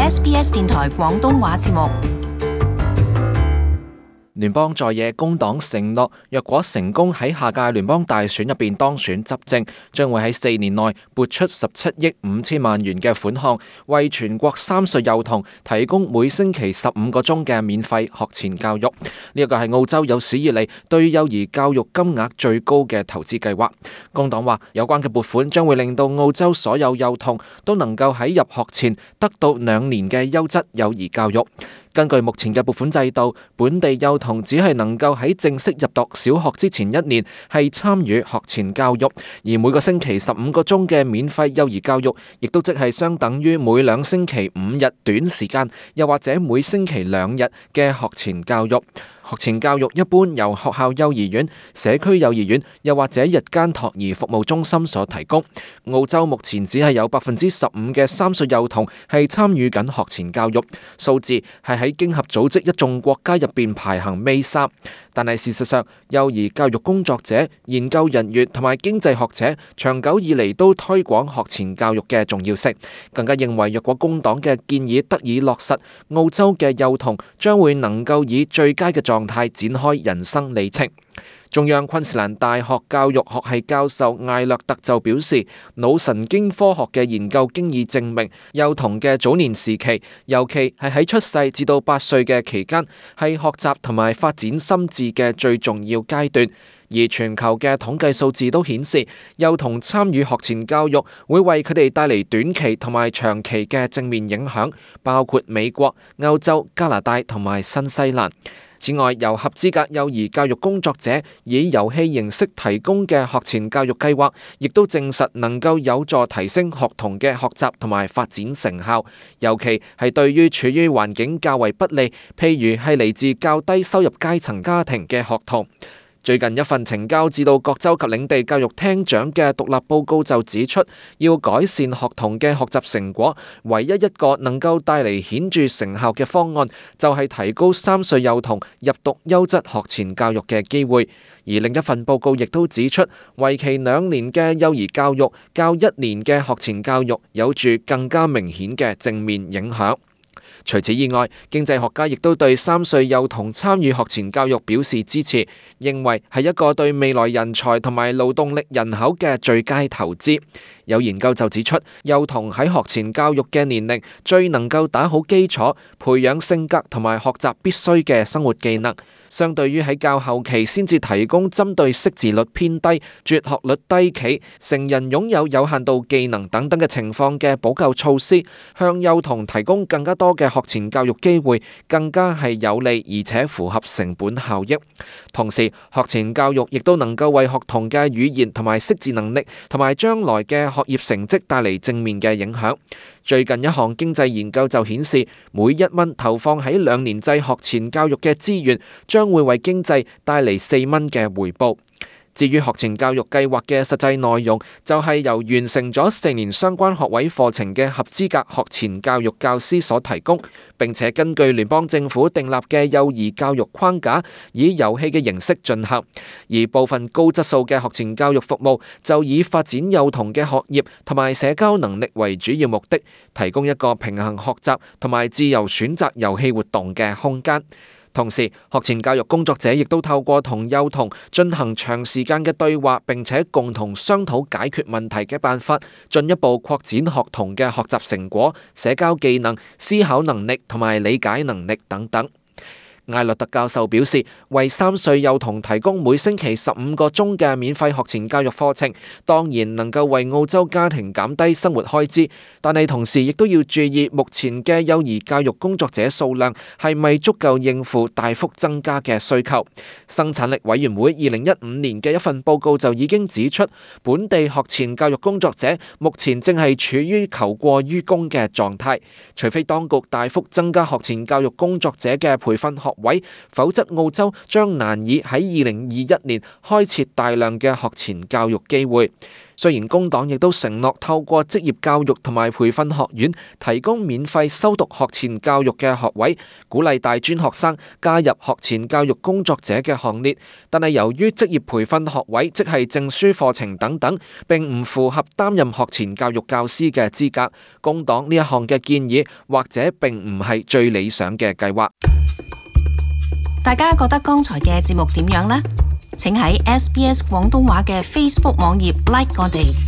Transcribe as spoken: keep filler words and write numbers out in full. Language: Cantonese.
S B S 電台廣東話節目。聯邦在野工黨承諾，若果成功喺下屆聯邦大選入邊當選執政，將會喺四年內撥出十七億五千萬元嘅款項，為全國三歲幼童提供每星期十五個鐘嘅免費學前教育。呢一個係澳洲有史以嚟對幼兒教育金額最高嘅投資計劃。工黨話，有關嘅撥款將會令到澳洲所有幼童都能夠喺入學前得到兩年嘅優質幼兒教育。根據目前嘅撥款制度，本地幼童只係能夠喺正式入讀小學之前一年係參與學前教育，而每個星期十五個鐘嘅免費幼兒教育，亦都即係相等於每兩星期五日短時間，又或者每星期兩日嘅學前教育。學前教育一般由學校幼兒園、社區幼兒園又或者日間托兒服務中心所提供。澳洲目前只係有百分之十五嘅三歲幼童係參與緊學前教育，數字係喺經合組織一眾國家入邊排行尾三。但係事實上，幼兒教育工作者、研究人員同埋經濟學者長久以嚟都推廣學前教育嘅重要性，更加認為若果工黨嘅建議得以落實，澳洲嘅幼童將會能夠以最佳嘅狀態展開人生里程。中央昆士蘭大學教育學系教授艾略特就表示，腦神經科學嘅研究經已證明，幼童嘅早年時期，尤其係喺出世至到八歲嘅期間，係學習同埋發展心智嘅最重要階段。而全球嘅統計數字都顯示，幼童參與學前教育會為佢哋帶嚟短期同埋長期嘅正面影響，包括美國、歐洲、加拿大同埋新西蘭。此外，由合資格幼兒教育工作者以遊戲形式提供嘅學前教育計劃，亦都證實能夠有助提升學童嘅學習同埋發展成效，尤其係對於處於環境較為不利，譬如係嚟自較低收入階層家庭嘅學童。最近一份呈交至到各州及領地教育廳長嘅獨立報告就指出，要改善學童嘅學習成果，唯一一個能夠帶嚟顯著成效嘅方案，就係提高三歲幼童入讀優質學前教育嘅機會。而另一份報告亦都指出，為期兩年嘅幼兒教育較一年嘅學前教育有住更加明顯嘅正面影響。除此以外，經濟學家亦都對三歲幼童參與學前教育表示支持，認為係一個對未來人才同埋勞動力人口嘅最佳投資。有研究就指出，幼童喺學前教育嘅年齡最能夠打好基礎，培養性格同埋學習必須嘅生活技能。相對於喺較後期先至提供針對識字率偏低、輟學率低企、成人擁有有限度技能等等嘅情況嘅補救措施，向幼童提供更加多嘅學前教育機會，更加係有利而且符合成本效益。同時，學前教育亦都能夠為學童嘅語言同埋識字能力同埋將來嘅學業成績帶嚟正面嘅影響。最近一項經濟研究就顯示，每一蚊投放喺兩年制學前教育嘅資源，將會為經濟帶嚟四蚊嘅回報。至於學前教育計劃嘅實際內容，就係由完成咗四年相關學位課程嘅合資格學前教育教師所提供，並且根據聯邦政府訂立嘅幼兒教育框架，以遊戲嘅形式進行。而部分高質素嘅學前教育服務，就以發展幼童嘅學業同埋社交能力為主要目的，提供一個平衡學習同埋自由選擇遊戲活動嘅空間。同時，學前教育工作者亦都透過同幼童進行長時間嘅對話，並且共同商討解決問題嘅辦法，進一步擴展學童嘅學習成果、社交技能、思考能力同埋理解能力等等。艾略特教授表示，為三歲幼童提供每星期十五個鐘嘅免費學前教育課程，當然能夠為澳洲家庭減低生活開支，但係同時亦都要注意目前嘅幼兒教育工作者數量係咪足夠應付大幅增加嘅需求。生產力委員會二零一五年嘅一份報告就已經指出，本地學前教育工作者目前正係處於求過於供嘅狀態，除非當局大幅增加學前教育工作者嘅培訓學位，否則澳洲將難以喺二零二一年開設大量嘅學前教育機會。雖然工黨亦都承諾透過職業教育同埋培訓學院提供免費修讀學前教育嘅學位，鼓勵大專學生加入學前教育工作者嘅行列，但係由於職業培訓學位即係證書課程等等，並唔符合擔任學前教育教師嘅資格，工黨呢一項嘅建議或者並唔係最理想嘅計劃。大家覺得剛才嘅節目點樣呢？請喺 S B S 廣東話嘅 Facebook 網頁 like 我哋。